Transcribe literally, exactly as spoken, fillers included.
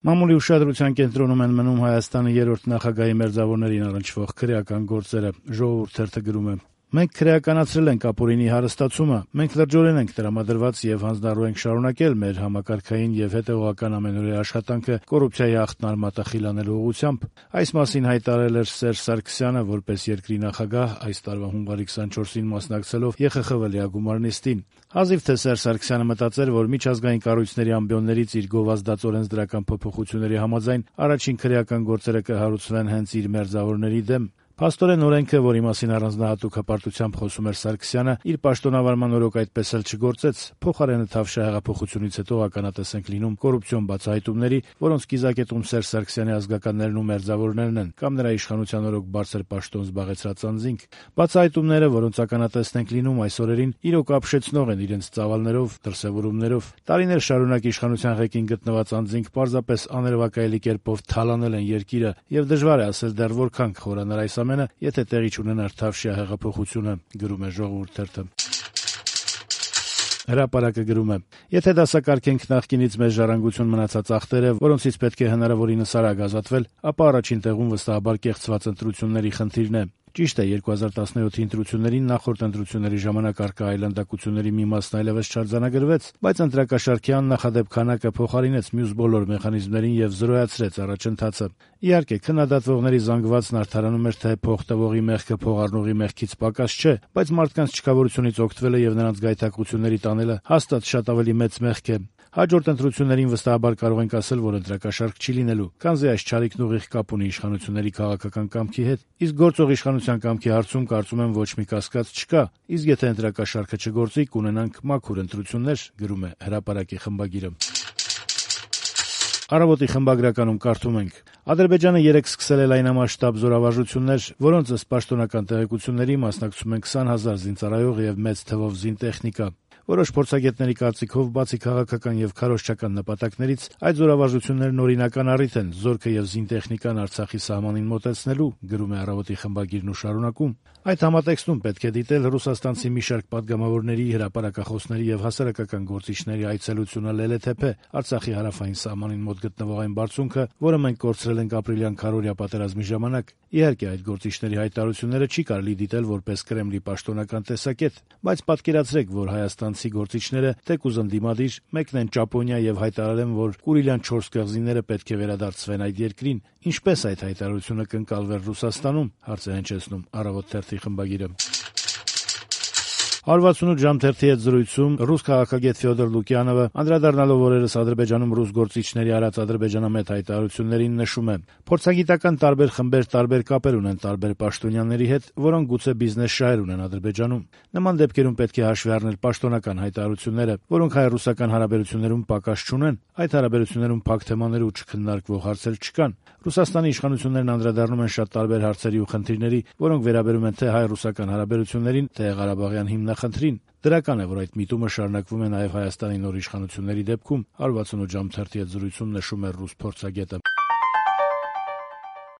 Մամուլի ուշադրության կենտրոնում են մնում Հայաստանի երրորդ նախագահի մերձավորներին առնչվող քրեական գործերը, Ժողովուրդ թերթը գրում է. «Մենք քրեականացրել ենք ապօրինի հարստացումը, մենք լրջորեն ենք տրամադրված եւ հանձնառու ենք շարունակել մեր համակարգային եւ հետեւողական ամենօրյա աշխատանքը կոռուպցիայի աղտն արմատախիլ անելու ուղղությամբ»։ Այս մասին հայտարարել էր Սերժ Սարգսյանը որպես երկրի նախագահ այս տարվա հունվարի քսանչորսին մասնակցելով Ե Խ Խ V լիագումար նիստին։ Հազիվ թե Սերժ Սարգսյանը մտածեր, որ միջազգային կառույցների ամբիոններից իր գովազդած օրենսդրական փոփոխությունների համաձայն առաջին քրեական գործերը կհարուցվեն հենց իր մերձավորների դեմ։ Փաստորեն օրենքը, որի մասին առանձնահատուկ հպարտությամբ խոսում էր Սարգսյանը, իր պաշտոնավարման օրոք այդպես էլ չգործեց։ Փոխարենը Թավշյա հեղափոխությունից հետո ականատես ենք լինում կոռուպցիոն բացահայտումների, որոնց կիզակետում Սերժ Սարգսյանի ազգականներն ու մերձավորներն են, կամ նրա իշխանության օրոք բարձր պաշտոն զբաղեցրած անձինք։ Բացահայտումները, որոնց ականատեսն ենք լինում այս օրերին, իրոք ապշեցնող են իրենց ծավալներով, դրսևորումներով։ Տարիներ շարունակ իշխանության ղեկին գտնված անձինք պարզապես աներևակայելի կերպով թալանել են երկիրը, եւ դժվար է ասել դեռ որքան կխորանար այս ամենը, եթե տեղի չունենար Թավշյա հեղափոխությունը, գրում է Ժողովուրդ թերթը։ Հրապարակը գրում է. «Եթե դասակարգենք նախկինից մեծ ժառանգություն մնացած ախտերը, որոնցից պետք է հնարավորինս արագ ազատվել, ապա առաջին տեղում վստահաբար կեղծված ընտրությունների խնդիրն է։ Ճիշտ է, երկու հազար տասնյոթի ընտրություններին նախորդ ընտրությունների ժամանակ առկա այլանդակությունների մի մասն այլևս չարձանագրվեց, բայց ընտրակաշառքի աննախադեպ քանակը փոխարինեց մյուս բոլոր մեխանիզմներին եւ զրոյացրեց առաջընթացը։ Իհարկե, քննադատվողների զանգվածն արդարանում էր, թե փող տվողի մեղքը փող առնողի մեղքից պակաս չէ, բայց մարդկանց չքավորությունից օգտվելը եւ նրանց գայթակղությունների տանելը հաստատ շատ ավելի մեծ մեղք է։ Հաջորդ ընտրություններին վստահաբար կարող ենք ասել, որ ընտրակաշառք չի լինելու, քանզի այս չարիքն ուղիղ կապ ունի իշխանությունների քաղաքական կամքի հետ։ Իսկ գործող իշխանության կամքի հարցում կարծում եմ ոչ մի կասկած չկա։ Իսկ եթե ընտրակաշառքը չգործի, կունենանք մաքուր ընտրություններ», գրում է Հրապարակի խմբագիրը։ Առավոտի խմբագրականում կարդում ենք. «Ադրբեջանը երեկ սկսել է լայնամասշտաբ զորավարժություններ, որոնց ըստ պաշտոնական տեղեկությունների մասնակցում են քսան հազար զինծառայող եւ մեծ թվով զինտեխնիկա։ Որոշ փորձագետների կարծիքով, բացի քաղաքական եւ քարոզչական նպատակներից, այդ զորավարժություններն օրինական առիթ են զորքը եւ զինտեխնիկան Արցախի սահմանին մոտեցնելու», գրում է Առավոտի խմբագիրն ու շարունակում. «Այդ համատեքստում պետք է դիտել ռուսաստանցի մի շարք պատգամավորների, հրապարակախոսների եւ հասարակական գործիչների այցելությունը Լելեթեփե, Արցախի հարավային սահմանին մոտ գտնվող այն բարձունքը, որը մենք կորցրել ենք ապրիլյան քարոզիա պատերազմի ժամանակ։ Իհարկե, այդ գործիչների հայտարարությունները չի կարելի դիտել որպես Կրեմլի պաշտոնական տեսակետ, բայց պատկերացրեք, որ հայաստանցի գործիչները թեկուզ ընդդիմադիր մեկնեն Ճապոնիա եւ հայտարարեն, որ Կուրիլյան չորս կղզիները պետք է վերադարձվեն այդ երկրին։ Ինչպես այդ հայտարարությունը կընկալվեր Ռուսաստանում», հարց է հնչեցնում Առավոտ թերթի խմբագիրը։ հարյուր վաթսունութ ժամ թերթի հետ զրույցում ռուս քաղաքագետ Ֆյոդոր Լուկյանովը, անդրադառնալով օրերս Ադրբեջանում ռուս գործիչների արած ադրբեջանամետ հայտարարություններին, նշում է. «Փորձագիտական տարբեր խմբեր տարբեր կապեր ունեն տարբեր պաշտոնյաների հետ, որոնք գուցե բիզնես շահեր ունեն Ադրբեջանում։ Նման դեպքերում պետք է հաշվի առնել պաշտոնական հայտարարությունները, որոնք հայ-ռուսական հարաբերություններում պակաս չունեն, այդ հարաբերություններում փակ թեմաներ ու չքննարկվող հարցեր չկան։ Ռուսաստանի իշխանություններն անդրադառնում են շատ տարբեր հարցերի ու խնդիրների, որոնք վերաբերում են թե հայ-ռուսական հարաբերություններին, թե Ղարաբաղյան հիմնախնդրին։ Դրական է, որ այդ միտումը շարունակվում է նաև Հայաստանի նոր իշխանությունների դեպքում», հարյուր վաթսունութ ժամ թերթի հետ զրույցում նշում է ռուս փորձագետը։